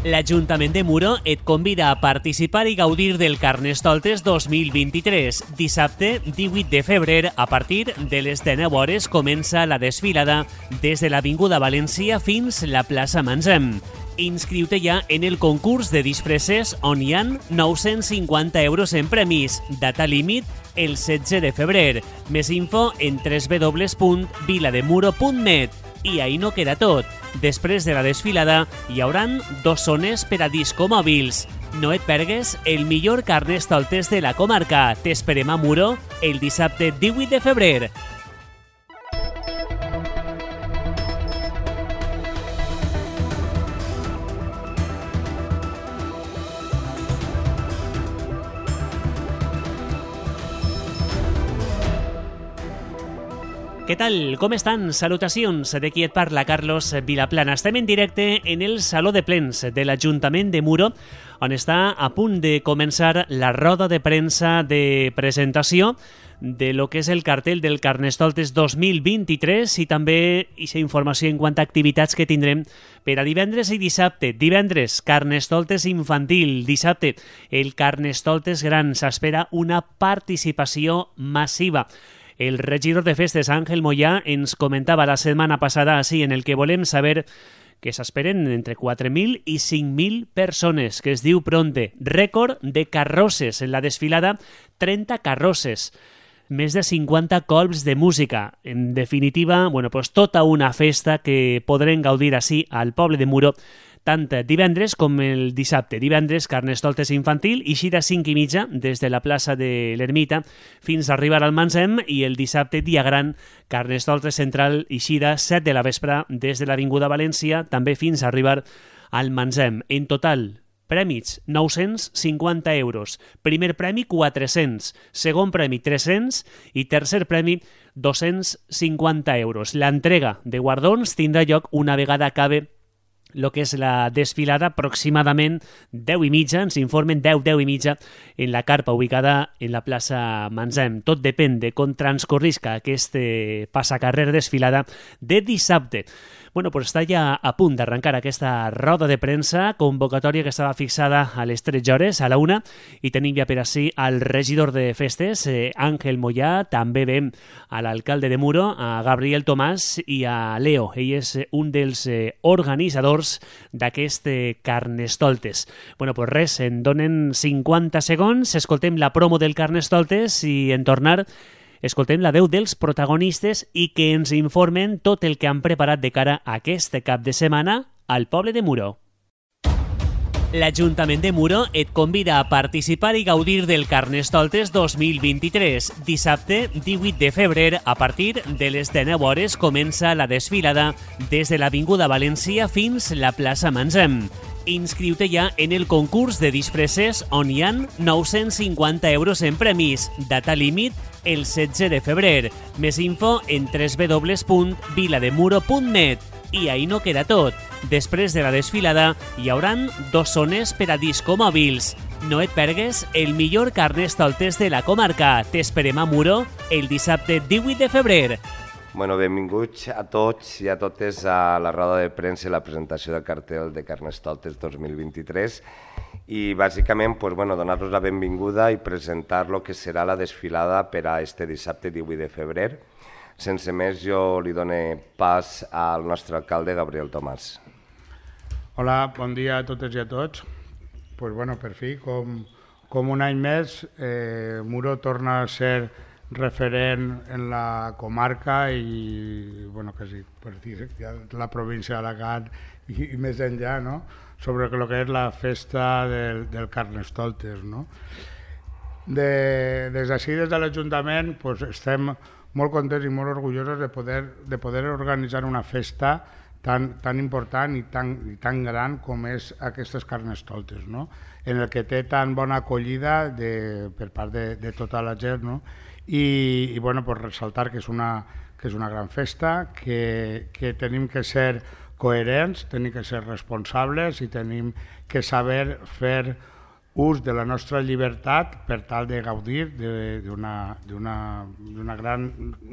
L'Ajuntament de Muro et convida a participar i gaudir del Carnestoltes 2023. Dissabte, 18 de febrer, a partir de les 19 hores, comença la desfilada des de l'Avinguda València fins la plaça Manzem. Inscriu-te ja en el concurs de disfresses on hi ha 950 euros en premis. Data límit el 16 de febrer. Més info en www.vilademuro.net. I ahí no queda tot. Després de la desfilada hi hauran 2 zones per a discomòbils. No et pergues el millor Carnestoltes de la comarca. T'esperem a Muro el dissabte 18 de febrer. Què tal? Com estan? Salutacions. De qui et parla, Carlos Vilaplana. Estem en directe en el Saló de Plens de l'Ajuntament de Muro, on està a punt de començar la roda de premsa de presentació de lo que és el cartell del Carnestoltes 2023 i també aquesta informació en quant a activitats que tindrem per a divendres i dissabte. Divendres, Carnestoltes infantil. Dissabte, el Carnestoltes gran. S'espera una participació massiva. El regidor de festes, Àngel Moyà, ens comentava la setmana passada així, en el que volem saber que s'esperen entre 4.000 i 5.000 persones, que es diu pronte. Rècord de carrosses en la desfilada, 30 carrosses, més de 50 colps de música. En definitiva, tota una festa que podrem gaudir així al poble de Muro, tant divendres com el dissabte. Divendres, Carnestoltes infantil, eixida 5:30 des de la plaça de l'Ermita fins a arribar al Manzem, i el dissabte, dia gran, Carnestoltes central, eixida 7 de la vespre des de l'Avinguda València, també fins a arribar al Manzem. En total, prèmits 950 euros. Primer premi 400, segon premi 300 i tercer premi 250 euros. L'entrega de guardons tindrà lloc una vegada acabe el que és la desfilada, aproximadament 10:30, ens informen 10:30, en la carpa ubicada en la plaça Manzem. Tot depèn de com transcorrisca aquest passacarrer desfilada de dissabte. Està ja a punt d'arrencar aquesta roda de premsa, convocatòria que estava fixada a les 13 hores, a la 1, i tenim ja per així al regidor de festes, Àngel Moyà, també veiem a l'alcalde de Muro, a Gabriel Tomàs, i a Leo. Ell és un dels organitzadors d'aquest Carnestoltes. Res, en donen 50 segons, escoltem la promo del Carnestoltes i en tornar escoltem la veu dels protagonistes i que ens informen tot el que han preparat de cara a aquest cap de setmana al poble de Muro. L'Ajuntament de Muro et convida a participar i gaudir del Carnestoltes 2023. Dissabte, 18 de febrer, a partir de les 19 hores, comença la desfilada des de l'Avinguda València fins la plaça Manzem. Inscriu-te ja en el concurs de disfresses on hi ha 950 euros en premis. Data límit el 16 de febrer. Més info en www.vilademuro.net. I ahí no queda tot. Després de la desfilada hi hauran 2 zones per a discomòbils. No et pergues el millor Carnestoltes de la comarca. T'esperem a Muro el dissabte 18 de febrer. Benvinguts a tots i a totes a la roda de premsa i la presentació del cartell de Carnestoltes 2023 i bàsicament donar-los la benvinguda i presentar el que serà la desfilada per a este dissabte 18 de febrer. Sense més, jo li dono pas al nostre alcalde, Gabriel Tomàs. Hola, bon dia a totes i a tots. Per fi, com un any més, Muro torna a ser referent en la comarca i, quasi per dir, la província d'Alacant i més enllà, sobre el que és la festa del Carnestoltes. Des d'ací, des de l'Ajuntament, estem molt contents i molt orgullosos de poder organitzar una festa tan important i tan gran com és aquestes Carnestoltes, en el que té tan bona acollida per part de tota la gent, i ressaltar que és una gran festa, que tenim que ser coherents, tenim que ser responsables i tenim que saber fer ús de la nostra llibertat per tal de gaudir d'un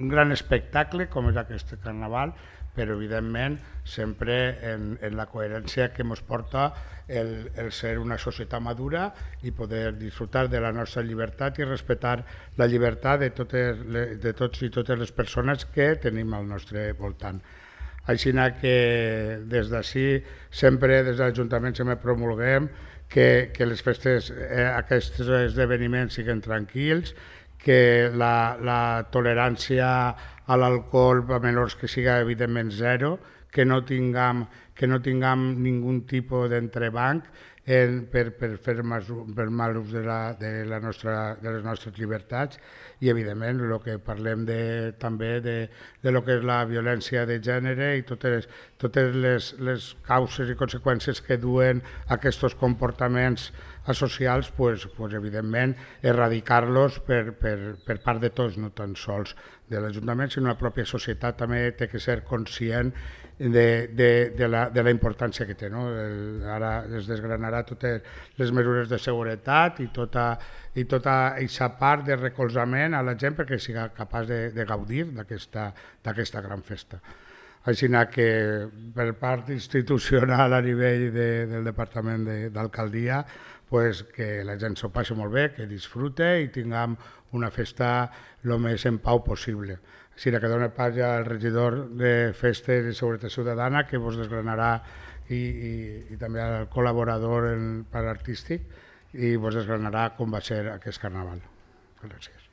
gran espectacle com és aquest carnaval, però evidentment sempre en la coherència que ens porta el ser una societat madura i poder disfrutar de la nostra llibertat i respectar la llibertat de tots i totes les persones que tenim al nostre voltant. Així que des d'ací sempre des de l'Ajuntament sempre promulguem que les festes, aquests esdeveniments siguin tranquils, que la tolerància a l'alcohol a menors que siga evidentment zero, que no tinguem ningú tipus d'entrebanc per fer mal ús de les nostres llibertats i evidentment el que parlem també de lo que és la violència de gènere i totes les causes i conseqüències que duen aquests comportaments asocials, pues evidentment erradicar-los per part de tots, no tan sols de l'Ajuntament, sinó la pròpia societat també té que ser conscient de la importància que té. Ara es desgranarà totes les mesures de seguretat i tota aquesta part de recolzament a la gent perquè siga capaç de gaudir d'aquesta gran festa. Així que per part institucional a nivell del Departament d'Alcaldia, que la gent s'ho passi molt bé, que disfrute i tinguem una festa el més en pau possible. Així que dona pas ja al regidor de Festes i Seguretat Ciutadana, que vos desgranarà, i també al col·laborador per artístic, i vos desgranarà com va ser aquest carnaval. Gràcies.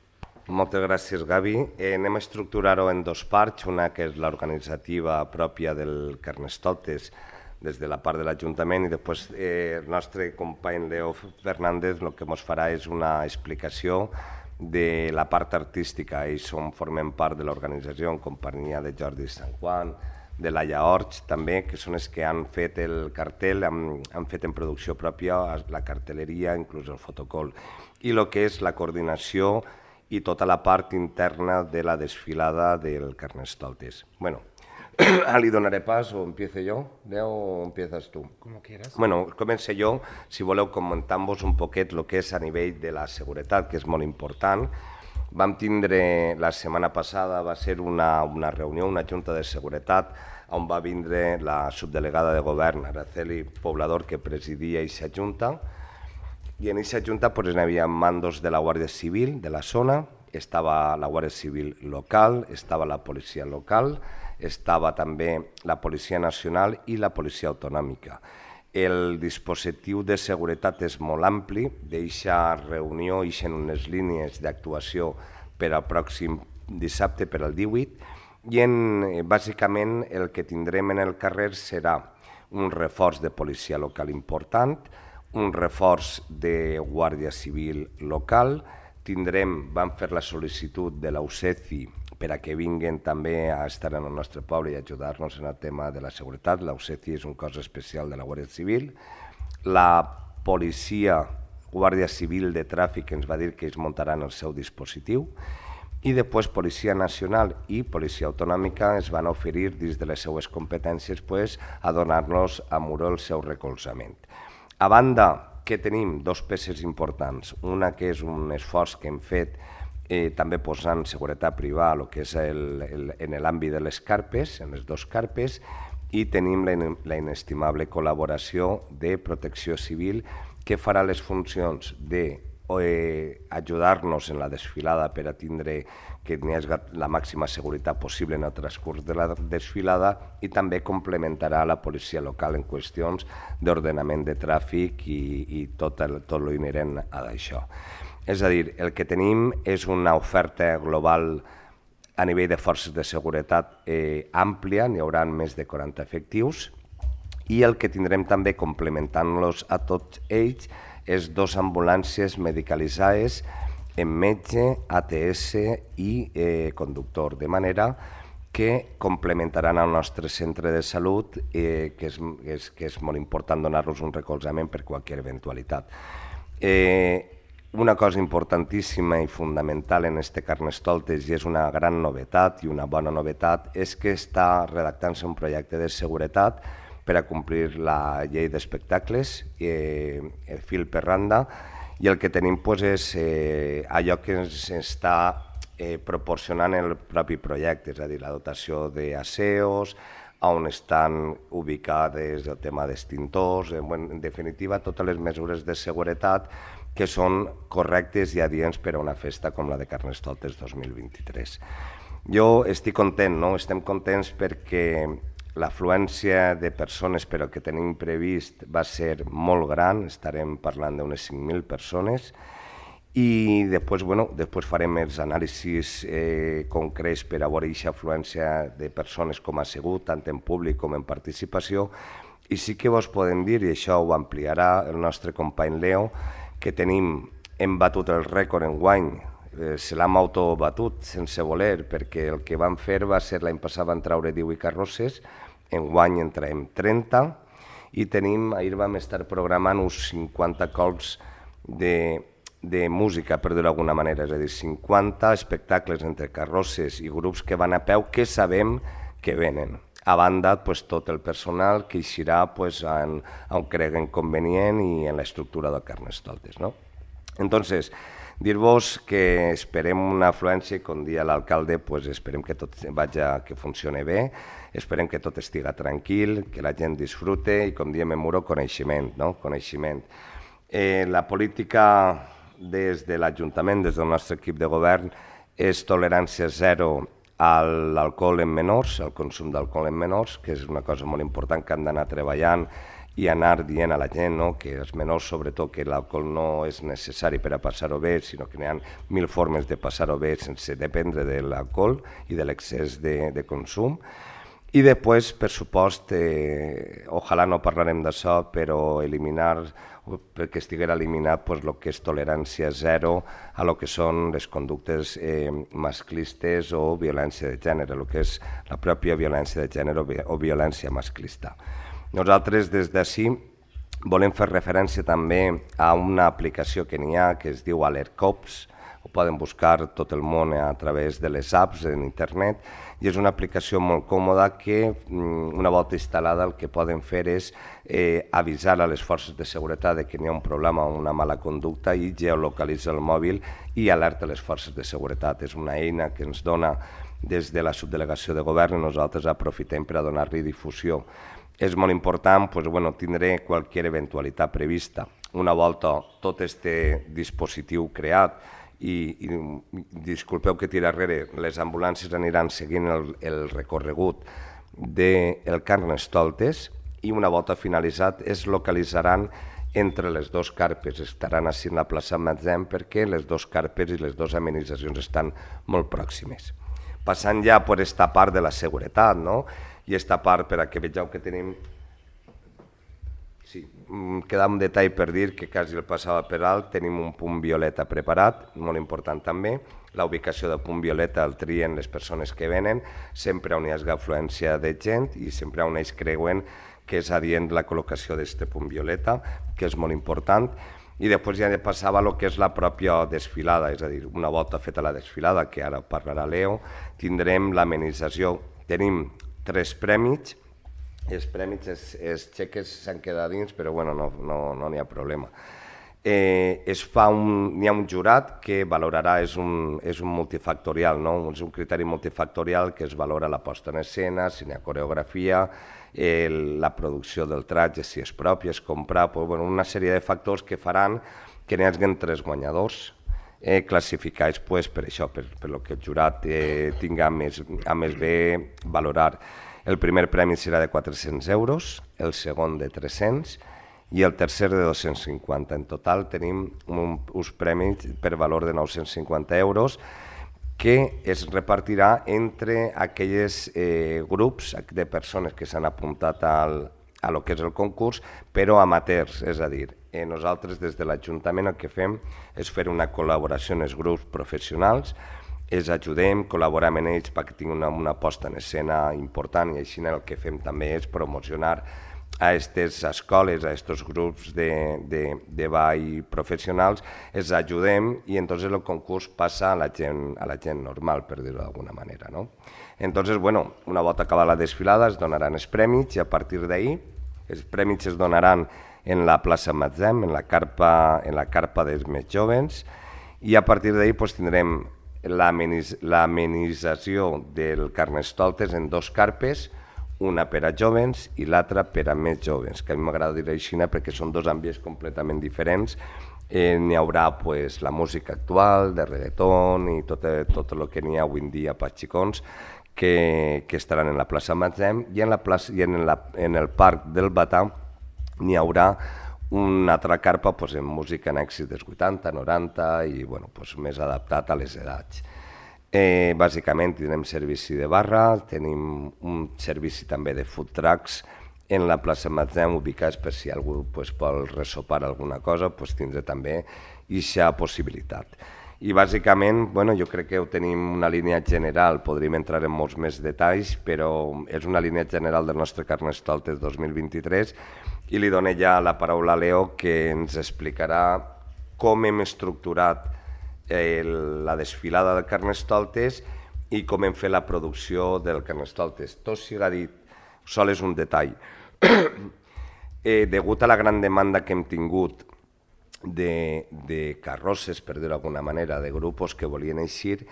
Moltes gràcies, Gavi. Anem a estructurar-ho en dos parts, una que és l'organitzativa pròpia del Carnestoltes des de la part de l'Ajuntament i després el nostre company Leo Fernández el que ens farà és una explicació de la part artística. Ells formen part de l'organització en companyia de Jordi Sant Juan, de Laia Orts també, que són els que han fet el cartel, han fet en producció pròpia la cartelleria, inclús el fotocol, i el que és la coordinació i tota la part interna de la desfilada del Carnestoltes. Bueno, li donaré pas o empiezo jo, Leo, o empiezas tu? Como quieras. Bueno, començo jo, si voleu comentar-vos un poquet el que és a nivell de la seguretat, que és molt important. Vam tindre, la setmana passada va ser una reunió, una junta de seguretat, on va vindre la subdelegada de govern, Araceli Poblador, que presidia aquesta junta, i en aquesta junta hi havia mandos de la Guàrdia Civil de la zona, estava la Guàrdia Civil local, estava la policia local, estava també la Policia Nacional i la Policia Autonòmica. El dispositiu de seguretat és molt ampli, d'aquesta reunió ixen unes línies d'actuació per al pròxim dissabte, per al 18, i bàsicament el que tindrem en el carrer serà un reforç de policia local important, un reforç de Guàrdia Civil local, vam fer la sol·licitud de l'UCECI per a que vinguin també a estar en el nostre poble i ajudar-nos en el tema de la seguretat. L'UCECI és un cos especial de la Guàrdia Civil. La policia, Guàrdia Civil de Tràfic, ens va dir que ells muntaran el seu dispositiu, i després Policia Nacional i Policia Autonòmica es van oferir dins de les seues competències a donar-nos a Muro el seu recolzament. A banda, que tenim dos peces importants, una que és un esforç que hem fet també posant seguretat privada, el que és en l'àmbit de les carpes, en les dues carpes, i tenim la inestimable col·laboració de Protecció Civil, que farà les funcions d'ajudar-nos en la desfilada per a tindre que hi hagi la màxima seguretat possible en el transcurs de la desfilada, i també complementarà la policia local en qüestions d'ordenament de tràfic i tot l'inherent a això. És a dir, el que tenim és una oferta global a nivell de forces de seguretat àmplia, n'hi haurà més de 40 efectius, i el que tindrem també complementant-los a tots ells és dues ambulàncies medicalitzades amb metge, ATS i conductor, de manera que complementaran el nostre centre de salut, que és molt important donar-los un recolzament per qualsevol eventualitat. Una cosa importantíssima i fundamental en este Carnestoltes, i és una gran novetat i una bona novetat, és que està redactant-se un projecte de seguretat per a complir la llei d'espectacles, fil per randa, i el que tenim és allò que ens està proporcionant el propi projecte, és a dir, la dotació d'asseos, on estan ubicades el tema d'extintors, en definitiva, totes les mesures de seguretat que són correctes i adients per a una festa com la de Carnestoltes 2023. Jo estic content, no? Estem contents perquè l'afluència de persones per al que tenim previst va ser molt gran, estarem parlant d'unes 5.000 persones, i després farem els anàlisis concrets per a veure aquesta afluència de persones com ha sigut, tant en públic com en participació, i sí que vos podem dir, i això ho ampliarà el nostre company Leo, que hem batut el rècord enguany, se l'hem autobatut sense voler, perquè el que vam fer va ser l'any passat van treure 18 carrosses, enguany en traiem 30, i ahir vam estar programant uns 50 cops de música, per dir-ho d'alguna manera, és a dir, 50 espectacles entre carrosses i grups que van a peu que sabem que venen. A banda, tot el personal que eixirà on creguen convenient i en l'estructura del Carnestoltes. Entonces, dir-vos que esperem una afluència i, com dia l'alcalde, esperem que tot que funcioni bé, esperem que tot estiga tranquil, que la gent disfrute i, com diem en Muro, coneixement. La política des de l'Ajuntament, des del nostre equip de govern, és tolerància zero a l'alcohol en menors, al consum d'alcohol en menors, que és una cosa molt important que han d'anar treballant i anar dient a la gent, que els menors, sobretot, que l'alcohol no és necessari per a passar-ho bé, sinó que n'hi ha 1.000 formes de passar-ho bé sense dependre de l'alcohol i de l'excés de consum. I després, per supost, ojalà no parlarem d'això, però eliminar, perquè estiguera eliminat el que és tolerància zero a lo que són les conductes masclistes o violència de gènere, el que és la pròpia violència de gènere o violència masclista. Nosaltres des d'ací volem fer referència també a una aplicació que n'hi ha que es diu AlertCops, ho poden buscar tot el món a través de les apps en internet, i és una aplicació molt còmoda que una volta instal·lada el que poden fer és avisar a les forces de seguretat que n'hi ha un problema o una mala conducta i geolocalitza el mòbil i alerta les forces de seguretat. És una eina que ens dona des de la subdelegació de govern i nosaltres aprofitem per a donar-li difusió. És molt important tindre qualsevol eventualitat prevista. Una volta tot este dispositiu creat, i disculpeu que tira darrere, les ambulàncies aniran seguint el recorregut del Carnestoltes i una volta finalitzat es localitzaran entre les dues carpes, estaran així en la plaça Matzem perquè les dues carpes i les dues amenitzacions estan molt pròximes. Passant ja per aquesta part de la seguretat, i aquesta part per a que vegeu que tenim... Sí, queda un detall per dir que quasi el passava per alt, tenim un punt violeta preparat, molt important també. La ubicació del punt violeta el trien les persones que venen, sempre on hi hagi afluència de gent i sempre on ells creuen que és adient la col·locació d'aquest punt violeta, que és molt important. I després ja passava el que és la pròpia desfilada, és a dir, una volta feta la desfilada, que ara parlarà Leo, tindrem l'amenització. Tenim 3 premis. Els premis, els xeques s'han quedat dins, però no n'hi ha problema. N'hi ha un jurat que valorarà, és un multifactorial, és un criteri multifactorial que es valora la posta en escena, si n'hi ha coreografia, la producció del tratge, si és propi, es comprar, una sèrie de factors que faran que n'hi hagi 3 guanyadors classificats per això, per el que el jurat tinga més bé valorar. El primer premi serà de 400 euros, el segon de 300 i el tercer de 250. En total tenim uns premis per valor de 950 euros que es repartirà entre aquells grups de persones que s'han apuntat a lo que és el concurs, però amateurs, és a dir, nosaltres des de l'Ajuntament el que fem és fer una col·laboració amb els grups professionals, els ajudem, col·laborem amb ells perquè tinguin una posta en escena important i així el que fem també és promocionar a aquestes escoles, a aquests grups de ball professionals, els ajudem i entonces el concurs passa a la gent normal, per dir-ho d'alguna manera. Entonces, una volta acabada la desfilada es donaran els premis i a partir d'ahir Els premis es donaran en la plaça Matzem, en la carpa dels més joves, i a partir d'ahir pues, tindrem l'amenització del Carnestoltes en 2 carpes, una per a jóvens i l'altra per a més jóvens, que a mi m'agrada dir així perquè són 2 ambients completament diferents. N'hi haurà pues, la música actual, de reggaeton i tot el que n'hi ha avui en dia per xicons que estaran en la plaça Matzem i en el parc del Batà n'hi haurà una altra carpa pues, en música en èxit dels 80, 90 i bueno, pues, més adaptat a les edats. Bàsicament tindrem servici de barra, tenim un servici també de food trucks en la plaça Matzem, ubicats per si algú pues, vol resopar alguna cosa, pues, tindrà també aquesta possibilitat. I bàsicament, bueno, jo crec que ho tenim una línia general, podríem entrar en molts més detalls, però és una línia general del nostre Carnestoltes 2023 i li dono ja la paraula a Leo, que ens explicarà com hem estructurat la desfilada del Carnestoltes i com hem fet la producció del Carnestoltes. Tot siga dit, sol és un detall. Degut a la gran demanda que hem tingut de carrosses, per dir-ho d'alguna manera, de grups que volien eixir,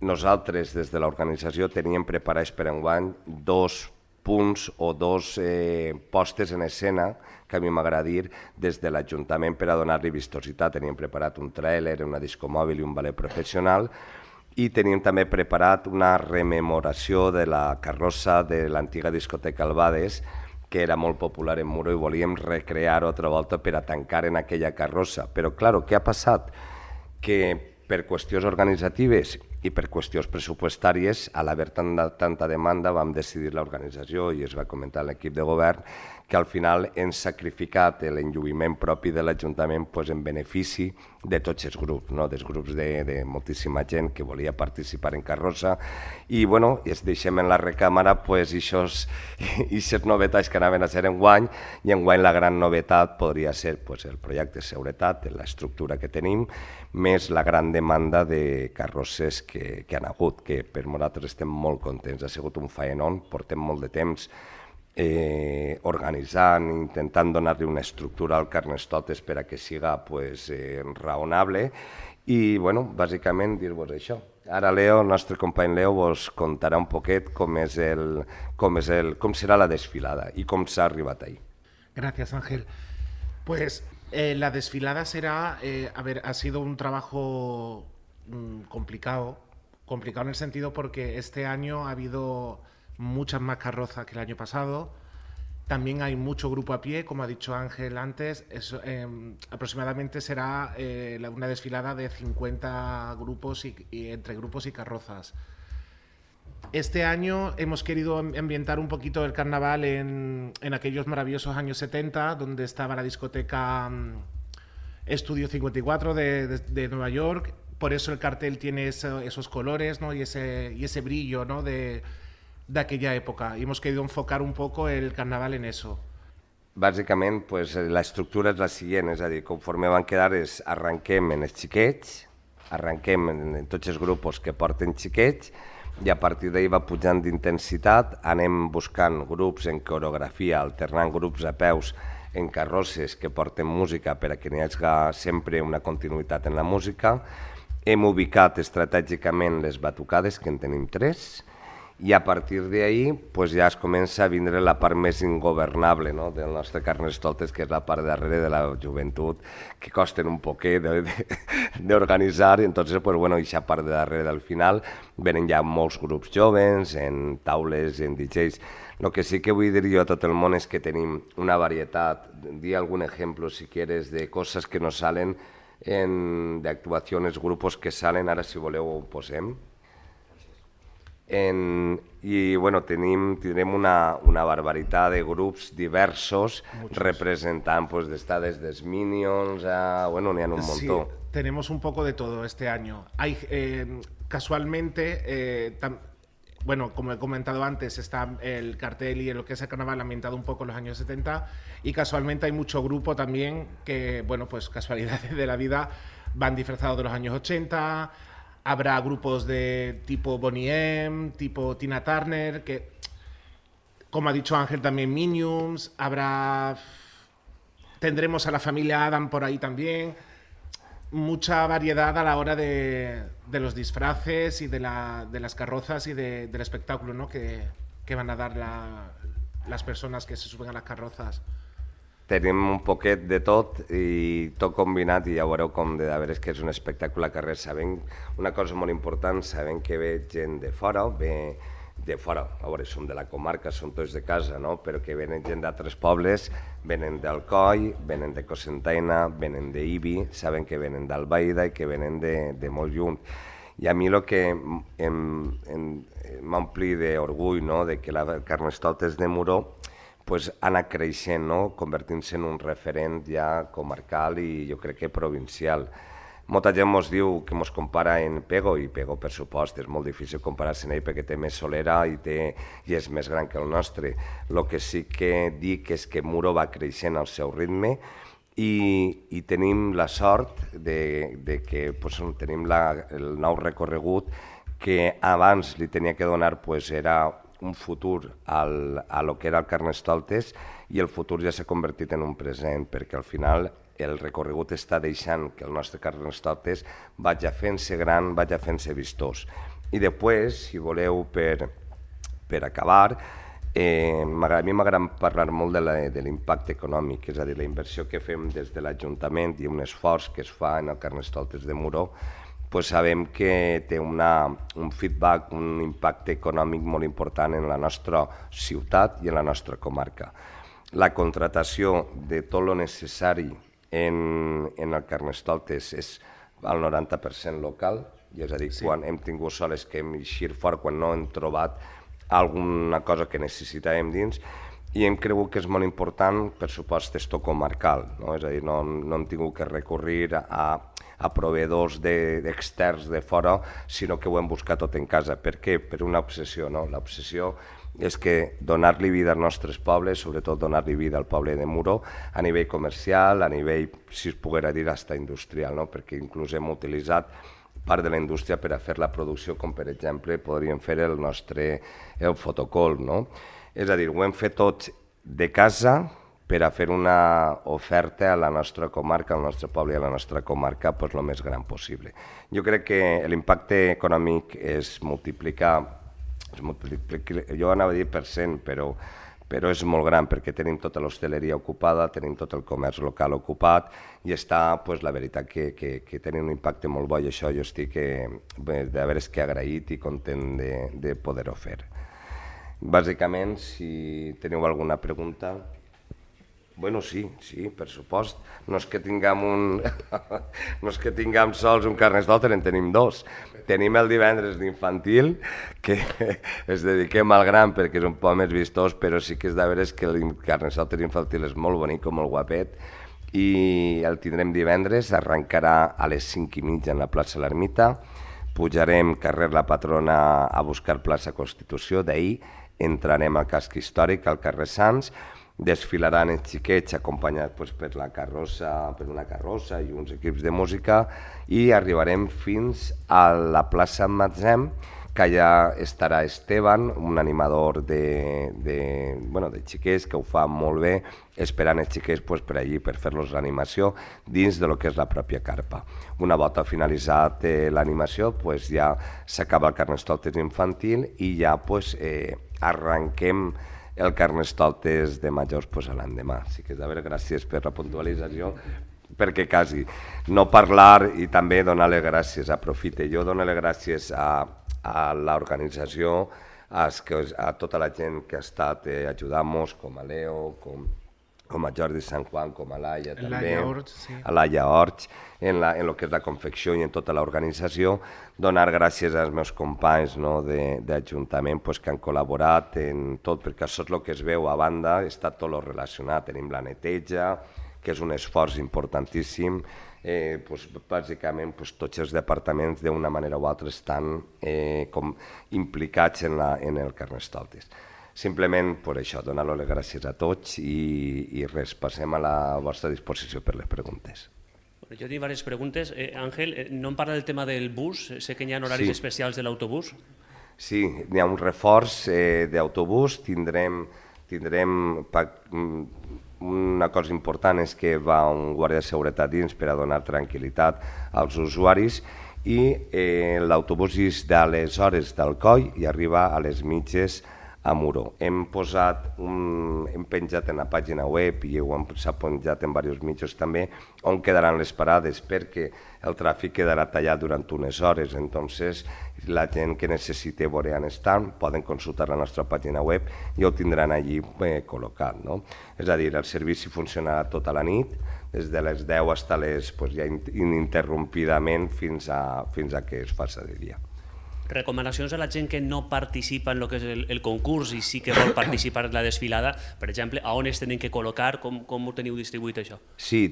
nosaltres des de l'organització teníem preparats per enguany 2 punts o 2 postes en escena, que a mi m'agrada dir, des de l'Ajuntament per a donar-li vistositat. Teníem preparat un tràiler, una discomòbil i un ballet professional, i teníem també preparat una rememoració de la carrossa de l'antiga discoteca Albades, que era molt popular en Muro, i volíem recrear-ho altra volta per a tancar en aquella carrossa. Però, clar, què ha passat? Que per qüestions organitzatives i per qüestions pressupostàries, a l'haver tanta demanda, vam decidir l'organització i es va comentar a l'equip de govern que al final hem sacrificat l'enlluïment propi de l'Ajuntament en benefici de tots els grups, dels grups de moltíssima gent que volia participar en carrossa, i bueno, es deixem en la recàmera aquestes novetats que anaven a ser enguany, i enguany la gran novetat podria ser el projecte de seguretat, l'estructura que tenim, més la gran demanda de carrosses que han hagut, que per nosaltres estem molt contents. Ha sigut un faenón, portem molt de temps organitzant, intentant donar-li una estructura al Carnestoltes per a que siga raonable, i bueno, bàsicament dir-vos això. Ara Leo, el nostre company Leo, vos contarà un poquet com serà la desfilada i com s'ha arribat ahí. Gracias, Ángel. Pues la desfilada será, ha sido un trabajo complicado en el sentido porque este año ha habido muchas más carrozas que el año pasado. También hay mucho grupo a pie, como ha dicho Ángel antes. Aproximadamente será una desfilada de 50 grupos y entre grupos y carrozas. Este año hemos querido ambientar un poquito el carnaval en aquellos maravillosos años 70, donde estaba la discoteca Estudio 54 de Nueva York. Por eso el cartel tiene esos colores, ¿no? y ese brillo, ¿no? de aquella época. Y hemos querido enfocar un poco el carnaval en eso. Bàsicament, l'estructura és la següent, és a dir, conforme van quedar, arrenquem en els xiquets, arrenquem en tots els grups que porten xiquets, i a partir d'ahir va pujant d'intensitat, anem buscant grups en coreografia, alternant grups a peus en carrosses que porten música per a que n'hi hagi sempre una continuïtat en la música. Hem ubicat estratègicament les batucades, que en tenim 3, i a partir d'ahir ja es comença a vindre la part més ingovernable del nostre Carnestoltes, que és la part darrere de la joventut, que costen un poquet d'organitzar, i entonces, aquesta part de darrere del final venen ja molts grups joves, en taules, en DJs. El que sí que vull dir jo a tot el món és que tenim una varietat, di algun exemple si quieres, de coses que no salen, d'actuacions, grupos que salen, ara si voleu ho posem. I tindrem una barbaritat de grups diversos representant des dels Minions a... n'hi ha un montón. Sí, tenemos un poco de todo este año. Hay, casualmente, como he comentado antes, está el cartel y lo que es el carnaval ambientado un poco en los años 70, y casualmente hay mucho grupo también que, casualidades de la vida, van disfrazados de los años 80. Habrá grupos de tipo Boney M, tipo Tina Turner, que como ha dicho Ángel, también Minions, tendremos a la familia Adam por ahí también. Mucha variedad a la hora de los disfraces y de las carrozas y del espectáculo, ¿no? que van a dar las persones que se suben a les carrozas. Tenim un poquet de tot i tot combinat i ja veureu com de veres que és un espectacle a carrer. Sabem una cosa molt important, sabem que ve gent de fora, a veure, som de la comarca, som tots de casa, no? Però que venen gent d'altres pobles, venen d'Alcoi, venen de Cocentaina, venen d'Ibi, saben que venen d'Albaida i que venen de molt lluny. I a mi el que m'ompli d'orgull, no?, de que la Carnestoltes de Muro pues, ha anat creixent, no?, convertint-se en un referent ja comarcal i jo crec que provincial. Molta gent ens diu que ens compara en Pego, i Pego, per supost, és molt difícil comparar-se amb ell perquè té més solera i és més gran que el nostre. El que sí que dic és que Muro va creixent al seu ritme i tenim la sort de que tenim el nou recorregut que abans li tenia que donar era un futur a lo que era el Carnestoltes i el futur ja s'ha convertit en un present perquè al final el recorregut està deixant que el nostre Carnestoltes vagi fent-se gran, vagi fent-se vistós. I després, si voleu, per acabar, a mi m'agrada parlar molt de l'impacte econòmic, és a dir, la inversió que fem des de l'Ajuntament i un esforç que es fa en el Carnestoltes de Muro, sabem que té un feedback, un impacte econòmic molt important en la nostra ciutat i en la nostra comarca. La contratació de tot el necessari en el Carnestoltes és al 90% local, és a dir, quan hem tingut soles que hem eixit fort, quan no hem trobat alguna cosa que necessitàvem dins, i hem cregut que és molt important, per supost, esto comarcal, és a dir, no hem tingut que recórrer a proveedors externs de fora, sinó que ho hem buscat tot en casa. Per què? Per una obsessió, no? L'obsessió és que donar-li vida als nostres pobles, sobretot donar-li vida al poble de Muro, a nivell comercial, a nivell, si es poguera dir, hasta industrial, no? Perquè inclús hem utilitzat part de la indústria per a fer la producció, com per exemple podríem fer el fotocol, no? És a dir, ho hem fet tot de casa per a fer una oferta a la nostra comarca, al nostre poble i a la nostra comarca el més gran possible. Jo crec que l'impacte econòmic es multiplica, jo anava a dir per 100, però és molt gran perquè tenim tota l'hostaleria ocupada, tenim tot el comerç local ocupat i està, la veritat, que tenim un impacte molt bo i això jo estic de veres que agraït i content de poder-ho fer. Bàsicament, si teniu alguna pregunta... Bueno, sí, per supost. No és que tinguem sols un Carnestoltes, en tenim dos. Tenim el divendres d'infantil, que es dediquem al gran perquè és un poc més vistós, però sí que és de veres que el Carnestoltes infantil és molt bonic, molt guapet, i el tindrem divendres, arrencarà a les 5:30 en la plaça L'Ermita, pujarem carrer La Patrona a buscar plaça Constitució, d'ahir entrarem al casc històric, al carrer Sants, desfilaran els xiquets acompanyats per una carrossa i uns equips de música i arribarem fins a la plaça Matzem, que allà estarà Esteban, un animador de xiquets que ho fa molt bé, esperant els xiquets per allí per fer-los l'animació dins del que és la pròpia carpa. Una volta finalitzat l'animació ja s'acaba el Carnestoltes infantil i ja arrenquem el Carnestoltes de majors a l'endemà. Així que, de veure, gràcies per la puntualització, perquè quasi no parlar i també donar les gràcies, aprofite. Jo dono les gràcies a l'organització, a tota la gent que ha estat ajudant-nos, com a Leo, com a Jordi Sant Juan, com a Laia també, a Laia Orts, en el que és la confecció i en tota l'organització. Donar gràcies als meus companys d'Ajuntament que han col·laborat en tot, perquè això és el que es veu a banda, està tot relacionat. Tenim la neteja, que és un esforç importantíssim. Bàsicament tots els departaments d'una manera o altra estan implicats en el Carnestoltes. Simplement per això, donar les gràcies a tots i res, passem a la vostra disposició per les preguntes. Jo tinc diverses preguntes. Àngel, no em parla del tema del bus? Sé que hi ha horaris especials de l'autobús. Sí, n'hi ha un reforç d'autobús, tindrem una cosa important és que va un guàrdia de seguretat dins per a donar tranquil·litat als usuaris i l'autobús és de les hores d'Alcoi i arriba a les mitges a Muro. Hem penjat en la pàgina web i s'ha penjat en diversos mitjans també on quedaran les parades perquè el tràfic quedarà tallat durant unes hores, entonces la gent que necessiti veure on estan poden consultar la nostra pàgina web i ho tindran allí col·locat. És a dir, el servici funcionarà tota la nit, des de les 10 fins ja ininterrompidament fins a que es faci de dia. Recomanacions a la gent que no participa en el que és el concurs i sí que vol participar en la desfilada, per exemple, a on es tenen que col·locar, com ho teniu distribuït això? Sí,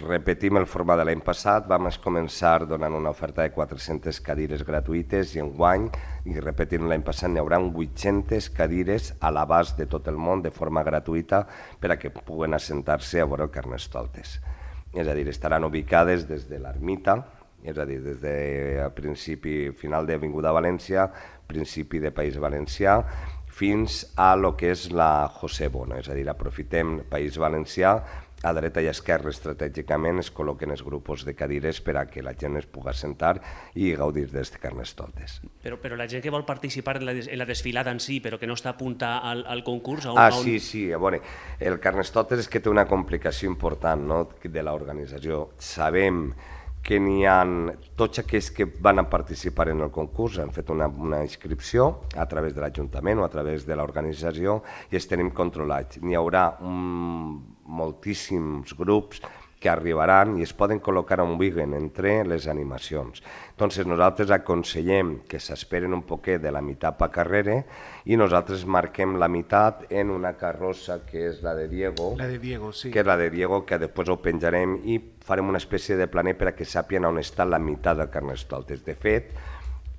repetim el format de l'any passat, vam començar donant una oferta de 400 cadires gratuïtes i enguany, i repetint l'any passat, n'hi haurà 800 cadires a l'abast de tot el món de forma gratuïta per a que puguen assentar-se a veure el Carnestoltes. És a dir, estaran ubicades des de l'ermita, és a dir, des del principi final d'Avinguda València, principi de País Valencià, fins a lo que és la José Bono, és a dir, aprofitem País Valencià, a dreta i a esquerra estratègicament es col·loquen els grups de cadires per a que la gent es pugui assentar i gaudir d'aquest Carnestoltes. Però la gent que vol participar en la desfilada en si, però que no està apuntada al concurs... Sí, a veure, el Carnestoltes és que té una complicació important de l'organització. Sabem que n'hi ha tots aquells que van a participar en el concurs, han fet una inscripció a través de l'Ajuntament o a través de l'organització i els tenim controlats. N'hi haurà moltíssims grups que arribaran i es poden col·locar on vulguin entre les animacions. Entonces nosaltres aconsellem que s'esperen un poquet de la meitat per carrera i nosaltres marquem la meitat en una carrossa que és la de Diego, sí. Que és la de Diego, que després ho penjarem i farem una espècie de planer per a que sàpien on està la meitat del Carnestoltes. De fet,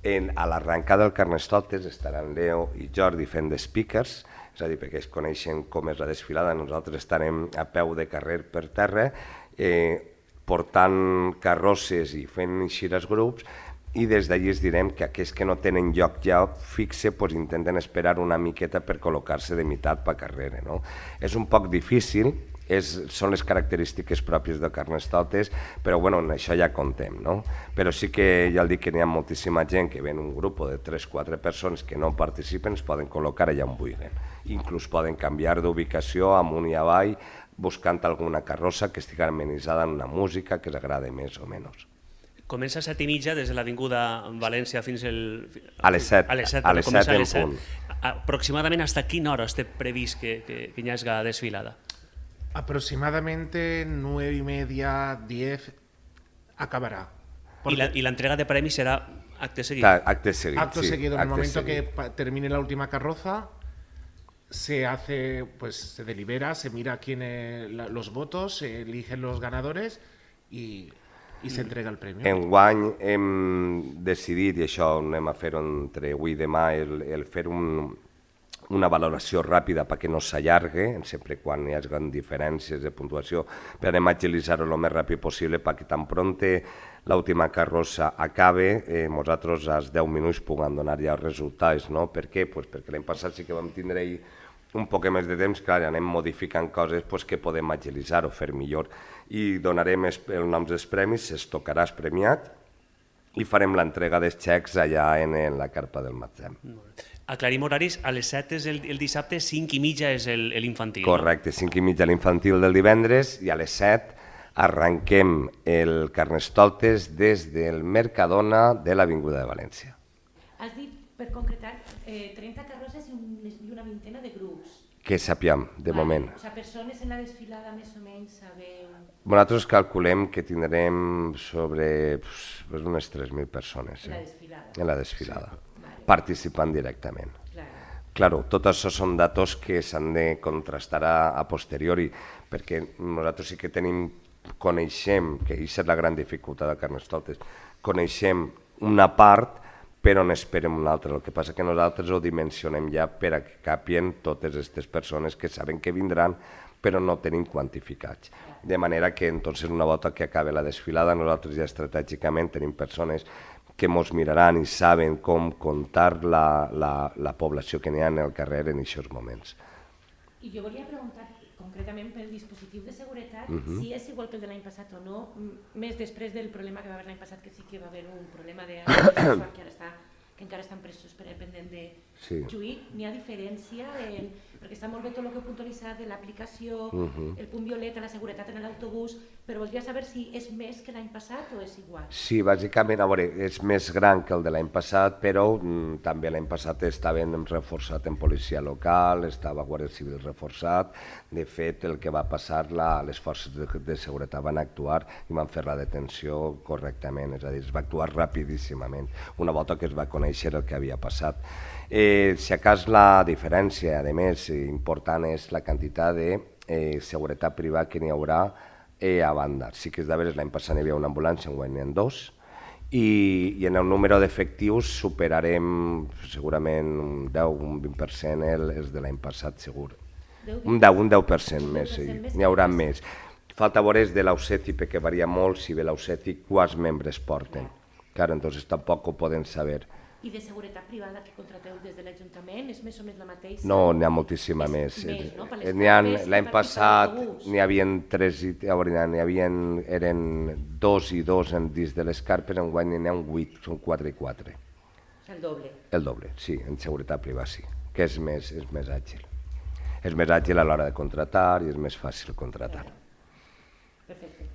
a l'arrencada del Carnestoltes estaran Leo i Jordi fent de speakers, és a dir, perquè es coneixen com és la desfilada, nosaltres estarem a peu de carrer per terra, portant carrosses i fent eixir els grups, i des d'allí es direm que aquells que no tenen lloc ja fixe intenten esperar una miqueta per col·locar-se de meitat per carrera. És un poc difícil, són les característiques pròpies del Carnestoltes, però en això ja comptem. Però sí que ja dic que n'hi ha moltíssima gent que ven un grup de 3-4 persones que no participen, es poden col·locar allà on vulguin. Inclús poden canviar d'ubicació amunt i avall, buscant alguna carrossa que estigui amenitzada en una música que els agrada més o menys. Comença a 7:30 des de l'Avinguda València fins a les 7. A les 7 en punt. Aproximadament hasta quina hora té previst que hi hagi la desfilada? Aproximadamente 9:30, 10 acabará. Y la entrega de premios será acto seguido. Acto seguido. Acto seguido. En el momento que termine la última carroza, se hace, pues se delibera, se mira los votos, se eligen los ganadores y se entrega el premio. Enguany hem decidit, i això anem a fer-ho entre avui i demà, el fer una valoració ràpida perquè no s'allargue, sempre quan hi hagi diferències de puntuació, per agilitzar-ho el més ràpid possible perquè tan pronte l'última carrossa acabe, nosaltres als 10 minuts puguem donar ja els resultats. Per què? Perquè l'any passat sí que vam tindre un poc més de temps, clar, anem modificant coses que podem agilitzar o fer millor. I donarem els noms dels premis, es tocarà el premiat i farem l'entrega dels xecs allà en la carpa del magatzem. Aclarim horaris, a les 7 és el dissabte, 5:30 és l'infantil. Correcte, 5:30 l'infantil del divendres i a les 7 arrenquem el Carnestoltes des del Mercadona de l'Avinguda de València. Has dit, per concretar, 30 carrosses i una vintena de grups. Que sapiem, de moment. O sigui, persones en la desfilada més o menys sabeu... Nosaltres calculem que tindrem sobre unes 3.000 persones. En la desfilada. En la desfilada, participant directament. Claro, tot això són datos que s'han de contrastar a posteriori, perquè nosaltres sí que coneixem, que aquesta és la gran dificultat del Carnestoltes, coneixem una part però n'esperem una altra. El que passa que nosaltres ho dimensionem ja per a que capien totes aquestes persones que saben que vindran però no tenim quantificats. De manera que entonces una volta que acabe la desfilada nosaltres ja estratègicament tenim persones que mos miraran i saben com comptar la població que n'hi ha en el carrer en aquests moments. I jo volia preguntar concretament pel dispositiu de seguretat, si és igual que el de l'any passat o no, més després del problema que va haver l'any passat, que sí que va haver un problema de que encara estan presos per pendent de juí. N'hi ha diferència, perquè està molt bé tot el que heu puntualitzat de l'aplicació, el punt violeta, la seguretat en l'autobús, però voldria saber si és més que l'any passat o és igual. Sí, bàsicament, a veure, és més gran que el de l'any passat, però també l'any passat estaven reforçat en policia local, estava Guàrdia Civil reforçat. De fet, el que va passar, les forces de seguretat van actuar i van fer la detenció correctament, és a dir, es va actuar rapidíssimament, una volta que es va conèixer el que havia passat. Si a cas la diferència, a més, important és la quantitat de seguretat privada que n'hi haurà a banda. Sí que és de veres, l'any passat hi havia una ambulància, enguany n'hi ha dos, i en el número d'efectius superarem segurament un 10, un 20% els de l'any passat, segur. Un 10% més, n'hi haurà més. Falta veure de l'AUCECI, perquè varia molt si ve l'AUCECI quants membres porten. Claro, entonces tampoc ho poden saber. I de seguretat privada que contrateu des de l'Ajuntament és més o menys la mateixa? No, n'hi ha moltíssima més. L'any passat n'hi havia 3, eren 2 i 2 dins de les carpes, enguany n'hi ha 8, són 4 i 4. El doble? El doble, sí, en seguretat privada sí, que és més àgil. És més àgil a l'hora de contratar i és més fàcil contratar. Perfecte.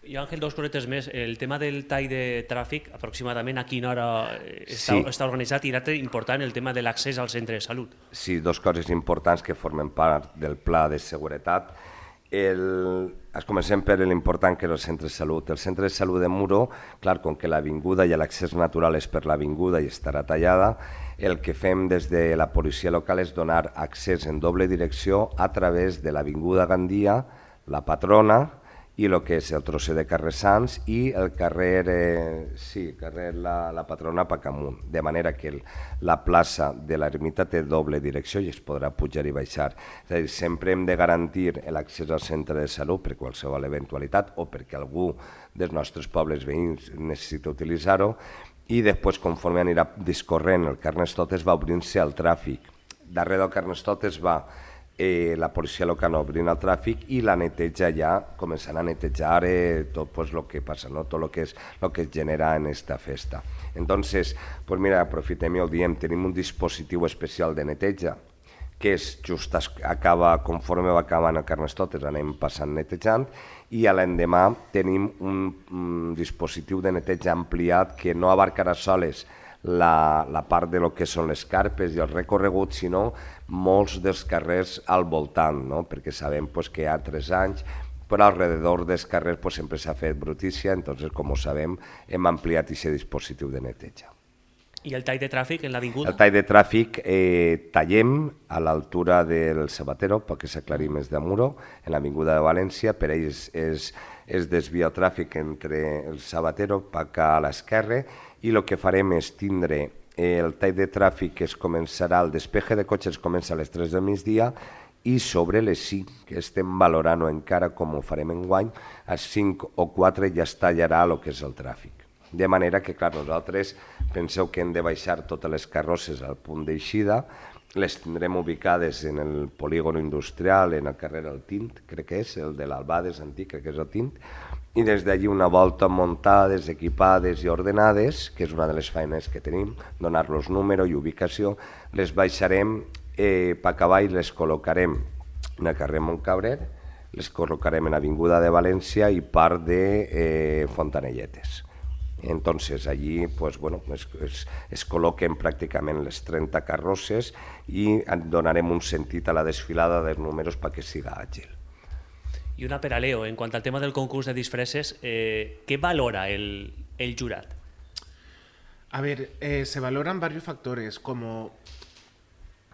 I Àngel, 2 cosetes més. El tema del tall de tràfic, aproximadament a quina hora està organitzat, i l'altre important, el tema de l'accés al centre de salut. Sí, 2 coses importants que formen part del pla de seguretat. Comencem per l'important que és el centre de salut. El centre de salut de Muro, clar, com que l'avinguda i l'accés natural és per l'avinguda i estarà tallada, el que fem des de la policia local és donar accés en doble direcció a través de l'avinguda Gandia, la Patrona, i el que és el trosser de carrer Sants i el carrer la Patrona Pacamunt, de manera que la plaça de l'ermita té doble direcció i es podrà pujar i baixar. És a dir, sempre hem de garantir l'accés al centre de salut per qualsevol eventualitat o perquè algú dels nostres pobles veïns necessita utilitzar-ho, i després, conforme anirà discorrent el Carnestoltes, va obrint-se al tràfic. Darrere del Carnestoltes va la policia local obrint el tràfic i la neteja ja, començant a netejar tot el que passa, tot el que es genera en aquesta festa. Entonces, pues mira, aprofitem i ho diem, tenim un dispositiu especial de neteja que és just conforme va acabant el Carnestoltes, anem passant netejant, i a l'endemà tenim un dispositiu de neteja ampliat que no abarcarà soles la part de lo que són les carpes i el recorregut, sinó molts dels carrers al voltant, perquè sabem que hi ha 3 anys, però alrededor dels carrers sempre s'ha fet brutícia, entonces, com ho sabem, hem ampliat aquest dispositiu de neteja. I el tall de tràfic en l'avinguda? El tall de tràfic tallem a l'altura del Sabatero, perquè s'aclarir més de Muro, en l'avinguda de València, per ells es desvia el tràfic entre el Sabatero, cap a l'esquerra, i el que farem és tindre el tall de tràfic que es començarà, el despeje de cotxes comença a les 3 del migdia i sobre les 5, que estem valorant encara com ho farem enguany, a 5 o 4 ja es tallarà el que és el tràfic. De manera que, clar, nosaltres penseu que hem de baixar totes les carrosses al punt d'eixida, les tindrem ubicades en el polígon industrial, en el carrer El Tint, crec que és, el de l'Albades antic, crec que és El Tint, i des d'allí una volta muntades, equipades i ordenades, que és una de les feines que tenim, donar-los número i ubicació, les baixarem per cavall, les col·locarem en el carrer Montcabrer, les col·locarem en l'Avinguda de València i part de Fontanelletes. Entonces allí es col·loquen pràcticament les 30 carrosses i donarem un sentit a la desfilada dels números perquè siga àgil. Y una per a Leo, en cuanto al tema del concurso de disfraces, ¿qué valora el jurat? A ver, se valoran varios factores, como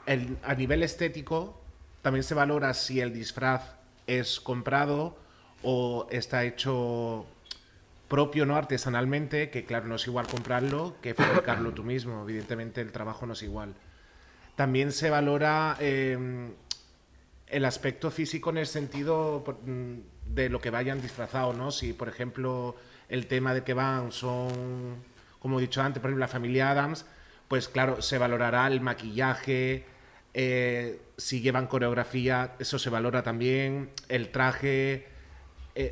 a nivel estético, también se valora si el disfraz es comprado o está hecho propio, ¿no? Artesanalmente, que claro, no es igual comprarlo que fabricarlo tú mismo, evidentemente el trabajo no es igual. También se valora el aspecto físico en el sentido de lo que vayan disfrazados, ¿no? Si, por ejemplo, el tema de que van son como he dicho antes, por ejemplo, la familia Adams, pues claro, se valorará el maquillaje, si llevan coreografía, eso se valora también, el traje,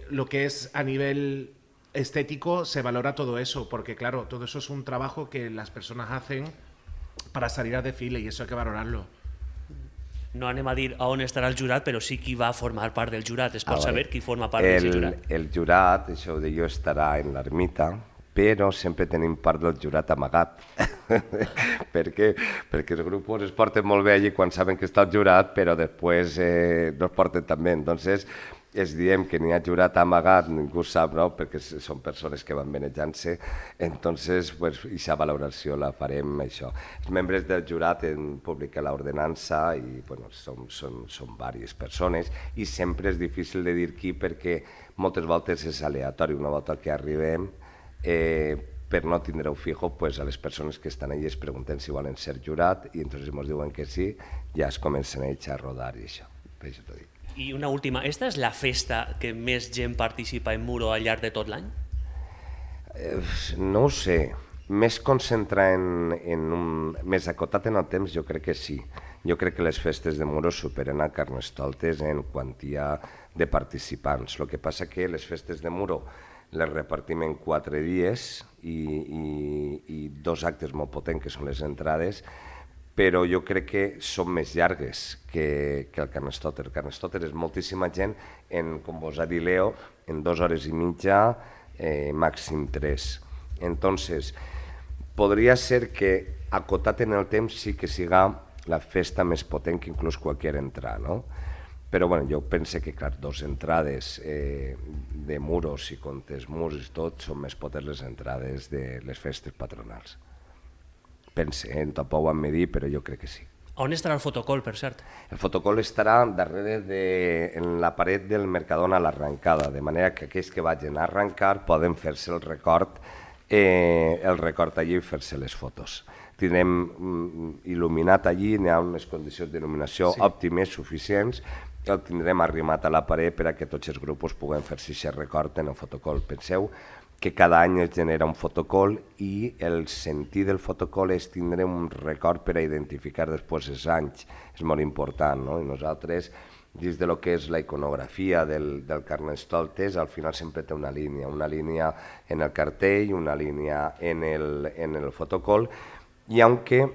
lo que es a nivel estético, se valora todo eso, porque claro, todo eso es un trabajo que las personas hacen para salir a desfile y eso hay que valorarlo. No anem a dir a on estarà el jurat, però sí qui va formar part del jurat. Es pot saber qui forma part del jurat? El jurat, això ho deia, estarà en l'ermita, però sempre tenim part del jurat amagat. Perquè els grups es porten molt bé allí quan saben que està el jurat, però després no es porten tan bé. Entonces, es diem que n'hi ha jurat amagat, ningú sap, no? Perquè són persones que van manejant-se, entonces, pues, aquesta valoració la farem, això. Els membres del jurat en publica l'ordenança i, bueno, són diverses persones i sempre és difícil de dir qui perquè moltes voltes és aleatori. Una volta que arribem, per no tindre-ho fijo, pues, a les persones que estan allà es pregunten si volen ser jurat i entonces ens diuen que sí, ja es comencen a echar a rodar i això, per això t'ho dic. I una última, esta és la festa que més gent participa en Muro al llarg de tot l'any? No ho sé, més concentrar més acotat en el temps, jo crec que sí. Jo crec que les festes de Muro superen a Carnestoltes en quantia de participants. El que passa que les festes de Muro les repartim en 4 dies i 2 actes molt potents, que són les entrades, però jo crec que són més llargues que el Carnestoltes. El Carnestoltes és moltíssima gent, com vos ha dit Leo, en 2 hores i mitja, màxim 3. Entonces, podria ser que acotat en el temps sí que siga la festa més potent que inclús qualsevol entrar, no? Però bueno, jo penso que, clar, 2 entrades de Muros, si comptes murs i tot, són més potents les entrades de les festes patronals. Pense, tampoc ho han de dir, però jo crec que sí. On estarà el fotocol, per cert? El fotocol estarà darrere en la paret del Mercadona a l'arrencada, de manera que aquells que vagin a arrencar poden fer-se el record allí i fer-se les fotos. Tindrem il·luminat allí, hi ha unes condicions d'il·luminació òptimes, suficients, i el tindrem arrimat a la paret per a que tots els grups puguen fer-se aquest record en el fotocol. Penseu que cada any es genera un fotocol i el sentit del fotocol és tindre un record per a identificar després els anys. És molt important, no? I nosaltres, dins de lo que és la iconografia del Carnestoltes, al final sempre té una línia en el cartell, una línia en el fotocol, i aunque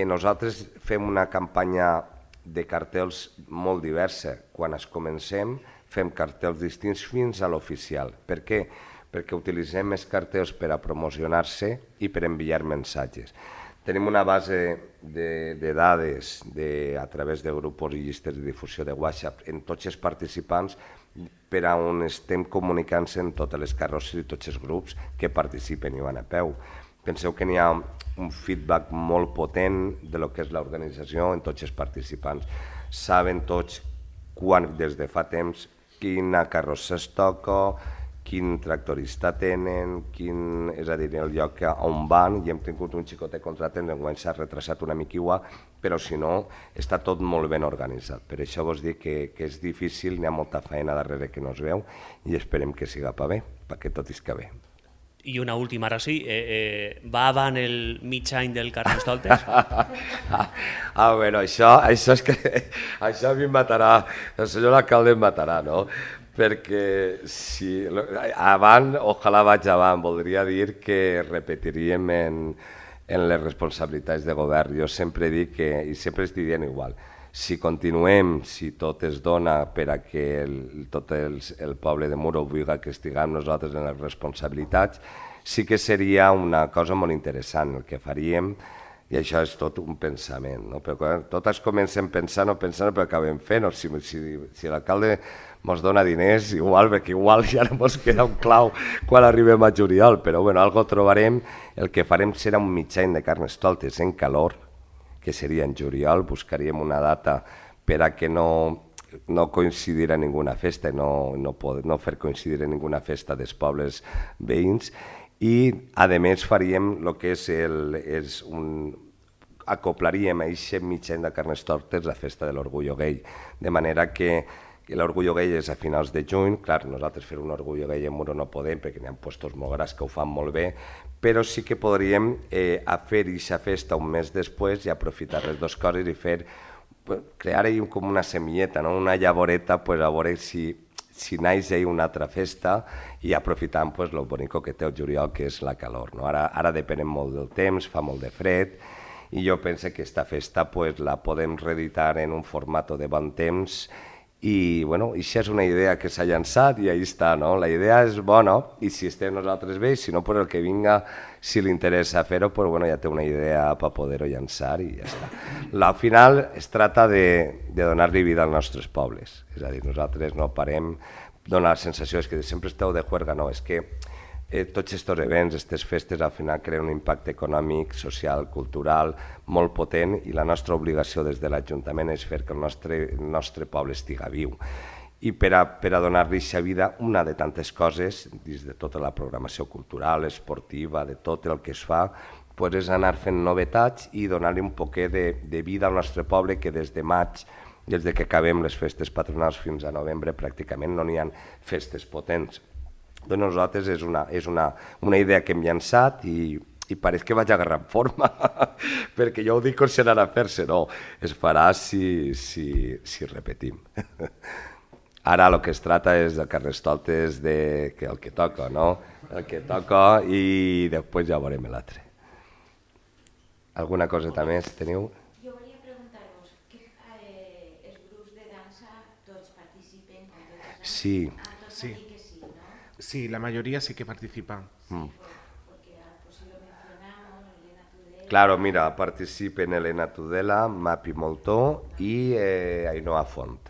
nosaltres fem una campanya de cartells molt diversa, quan es comencem fem cartells distints fins a l'oficial. Per què? Perquè utilitzem els cartells per a promocionar-se i per enviar missatges. Tenim una base de dades a través de grups i llistes de difusió de WhatsApp en tots els participants per a on estem comunicant-se en totes les carrosses i tots els grups que participen i van a peu. Penseu que n'hi ha un feedback molt potent de lo que és l'organització en tots els participants. Saben tots des de fa temps quina carrossa es toca, quin tractorista tenen, és a dir, el lloc on van, i hem tingut un xicotet contracte, enguany s'ha retrasat una mica igual, però si no, està tot molt ben organitzat. Per això vos dic que és difícil, n'hi ha molta feina darrere que no es veu, i esperem que siga per bé, perquè tot isca bé. I una última, ara sí, va avant el mig any del Carnestoltes? Bueno, això és que això a mi em matarà, el senyor alcalde em matarà, no? Perquè si avant, ojalà vaig avant, voldria dir que repetiríem en les responsabilitats de govern. Jo sempre dic que, i sempre estic dient igual, si continuem, si tot es dona per a que tot el poble de Muro vulgui que estiguem nosaltres en les responsabilitats, sí que seria una cosa molt interessant el que faríem, i això és tot un pensament, no? Però totes comencem pensant o pensant, però acabem fent. Si l'alcalde ens dona diners, igual, perquè igual ja no ens queda un clau quan arribem a juliol, però bueno, algo trobarem. El que farem serà un mig any de Carnestoltes en calor, que seria en juliol, buscaríem una data per a que no coincidir en ninguna festa, no fer coincidir en ninguna festa dels pobles veïns, i a més faríem el que és acoplaríem a aquest mig any de Carnestoltes la festa de l'orgullo gay, de manera que l'Orgullo Gay és a finals de juny. Clar, nosaltres fer un Orgullo Gay en Muro no podem perquè n'hi ha puestos molt grans que ho fan molt bé, però sí que podríem fer aquesta festa un mes després i aprofitar les dues coses i crear com una semilleta, no? Una llavoreta, pues, a veure si naix una altra festa i aprofitant pues, lo bonico que té el juliol, que és la calor. No? Ara depenem molt del temps, fa molt de fred, i jo penso que aquesta festa pues, la podem reeditar en un format de bon temps i bueno, això és una idea que s'ha llançat i ahí està, no? La idea és bona i si estem nosaltres bé, si no, pues el que vinga, si li interessa fer-ho, pues bueno, ja té una idea per poder-ho llançar i ja està. Al final es tracta de donar-li vida als nostres pobles, és a dir, nosaltres no parem, dona la sensació és que sempre esteu de juerga, no, és que tots aquests events, aquestes festes, al final creen un impacte econòmic, social, cultural, molt potent i la nostra obligació des de l'Ajuntament és fer que el nostre poble estiga viu. I per a donar-li aquesta vida, una de tantes coses, dins de tota la programació cultural, esportiva, de tot el que es fa, pues és anar fent novetats i donar-li un poquet de vida al nostre poble, que des de maig, des que acabem les festes patronals fins a novembre, pràcticament no n'hi ha festes potents. Doncs nosaltres és una idea que hem llançat i pareix que vaig agarrar forma, perquè jo ho dic com si anara a fer-se, no, es farà si repetim. Ara el que es tracta és de Carnestoltes que el que toca, no? El que toca i després ja veurem l'altre. Alguna cosa més teniu? Jo volia preguntar-vos que els grups de dansa tots participen? Sí. Sí, la mayoría sí que participan. Porque pues, si lo mencionamos, Elena Tudela... Claro, mira, participen Elena Tudela, Mapi Moltó i Ainhoa Font.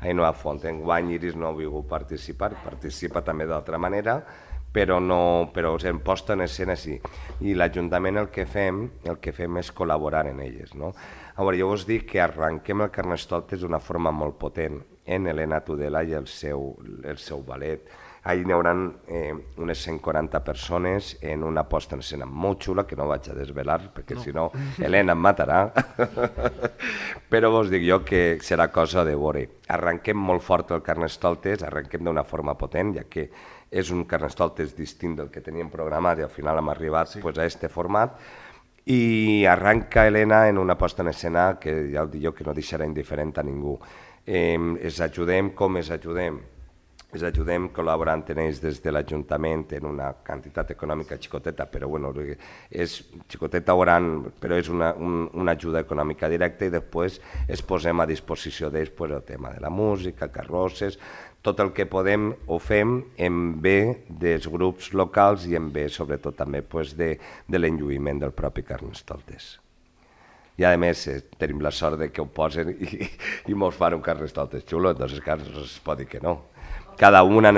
Ainhoa Font. Enguany Iris no ha volgut participar, participa també d'altra manera, però en posta en escena sí. I l'Ajuntament el que fem és col·laborar en elles. No? A veure, jo us dic que arrenquem el Carnestoltes d'una forma molt potent en Elena Tudela i el seu ballet. Ahí n'hi haurà unes 140 persones en una posta en escena molt xula, que no vaig a desvelar, perquè si no Helena em matarà. Però vos dic jo que serà cosa de veure. Arrenquem molt fort el Carnestoltes, arrenquem d'una forma potent, ja que és un Carnestoltes distint del que teníem programat i al final hem arribat a aquest format. I arranca Helena en una posta en escena que ja ho dic jo que no deixarà indiferent a ningú. Es ajudem com es ajudem? Es ajudem col·laborant en ells des de l'Ajuntament en una quantitat econòmica xicoteta, però bueno, és xicoteta gran, però és una ajuda econòmica directa i després es posem a disposició d'ells el tema de la música, carrosses, tot el que podem ho fem en bé dels grups locals i en bé sobretot també de l'enlluïment del propi Carnestoltes. I a més tenim la sort que ho posen i mos fan un Carnestoltes xulo, doncs no es pot dir que no. Cada una en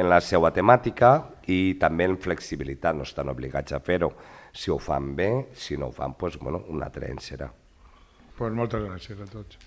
la seva temàtica i també en flexibilitat, no estan obligats a fer-ho. Si ho fan bé, si no ho fan, doncs un altre any serà. Moltes gràcies a tots.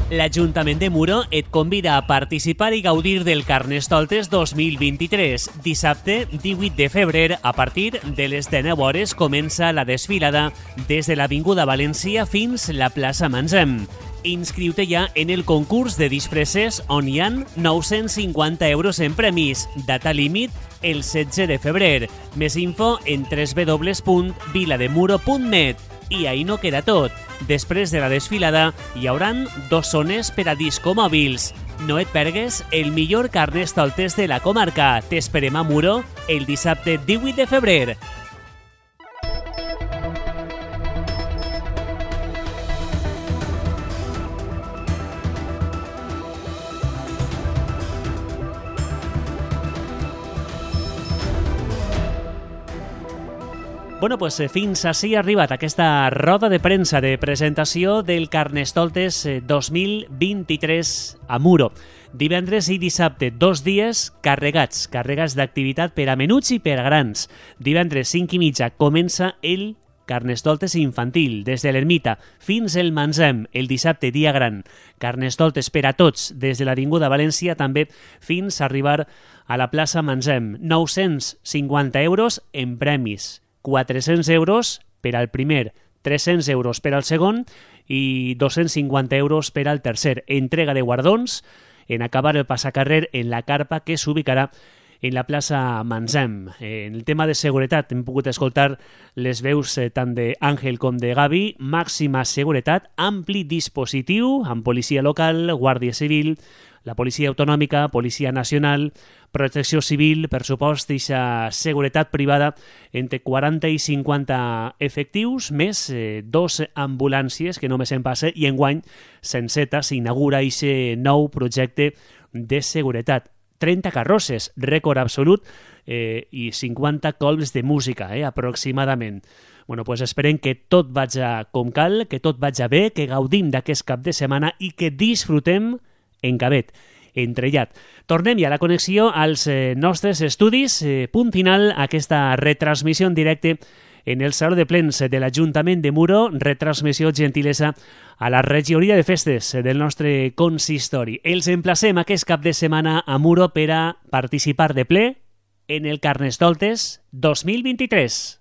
L'Ajuntament de Muro et convida a participar i gaudir del Carnestoltes 2023. Dissabte, 18 de febrer, a partir de les 19 hores, comença la desfilada des de l'Avinguda València fins la plaça Manzem. Inscriu-te ja en el concurs de disfresses on hi ha 950 euros en premis. Data límit el 16 de febrer. Més info en www.vilademuro.net. I ahí no queda tot. Després de la desfilada hi hauran 2 zones per a discomòbils. No et pergues el millor Carnestoltes de la comarca. T'esperem a Muro el dissabte 18 de febrer. Bueno, pues fins ací ha arribat aquesta roda de premsa de presentació del Carnestoltes 2023 a Muro. Divendres i dissabte, 2 dies carregats d'activitat per a menuts i per a grans. Divendres 5:30 comença el Carnestoltes infantil, des de l'Ermita fins el Manzem, el dissabte dia gran. Carnestoltes per a tots, des de l'Avinguda València també fins a arribar a la plaça Manzem. 950 euros en premis. 400 euros per al primer, 300 euros per al segon i 250 euros per al tercer. Entrega de guardons en acabar el passacarrer en la carpa que s'ubicarà en la plaça Mansem. En el tema de seguretat hem pogut escoltar les veus tant d'Àngel com de Gavi. Màxima seguretat, ampli dispositiu amb policia local, Guàrdia Civil, la Policia Autonòmica, Policia Nacional, Protecció Civil, per supost, eixa seguretat privada entre 40 i 50 efectius, més 2 ambulàncies, que només en passa, i enguany Senseta s'inaugura eixe nou projecte de seguretat. 30 carrosses, rècord absolut, i 50 colps de música, aproximadament. Bueno, pues esperem que tot vaja com cal, que tot vaja bé, que gaudim d'aquest cap de setmana i que disfrutem encavet, entrellat. Tornem ja a la connexió als nostres estudis. Punt final a aquesta retransmissió en directe en el Saló de Plens de l'Ajuntament de Muro, retransmissió gentilesa a la regidoria de festes del nostre consistori. Els emplacem aquest cap de setmana a Muro per a participar de ple en el Carnestoltes 2023.